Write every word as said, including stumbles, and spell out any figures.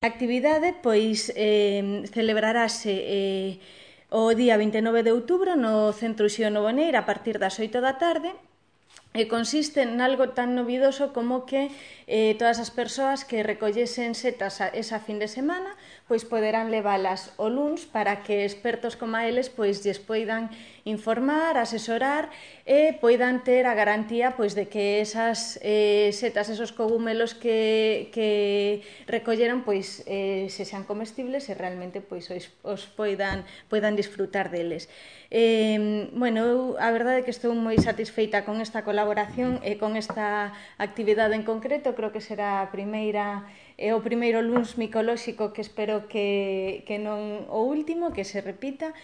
A actividade, pois, eh, celebrarase eh, o día vinte e nove de outubro no Centro Uxío Novo Neira a partir das oito da tarde e consiste en algo tan novidoso como que eh, todas as persoas que recollesen setas a, esa fin de semana pois poderán leválas o luns para que expertos como eles pois lles poidan informar, asesorar e poidan ter a garantía pois de que esas eh, setas, esos cogumelos que, que recolleron pois eh, se sean comestibles e realmente pois os, os poidan, poidan disfrutar deles. Eh, bueno, eu a verdade é que estou moi satisfeita con esta colaboración e con esta actividade en concreto. Creo que será a primeira é o primeiro luns micolóxico que espero que, que non o último, que se repita.